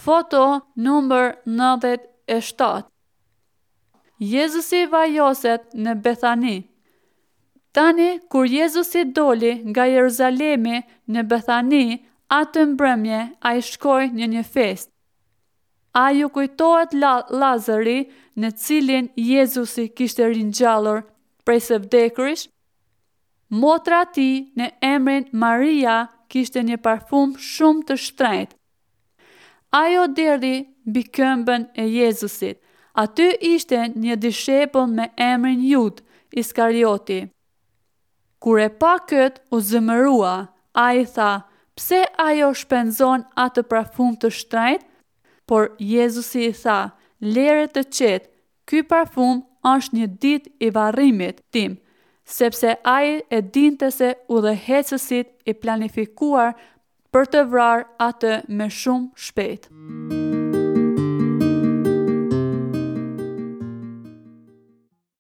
Foto numër 97 Jezusi vajoset në Bethani Tani, kur Jezusi doli nga Jeruzalemi në Bethani, atë mbrëmje ai shkoi në një festë. A ju kujtohet Lazari, në cilin Jezusi kishte ringjallur prej së vdekurish? Motra e tij në emrin Maria kishte një parfum shumë të shtrenjtë. Ajo derdhi mbi këmbën e Jezusit. Aty ishte një dishepull me emrin Judë Iskarioti. Kur e pa këtë, u zemërua. Ai tha, Pse ajo shpenzon atë parfum të shtrenjtë? Por Jezusi i tha, Lëre të qetë, ky parfum është një ditë i varrimit tim, sepse ai e dinte se udhëheqësit i planifikuar për të vrarë atë me shumë shpejt.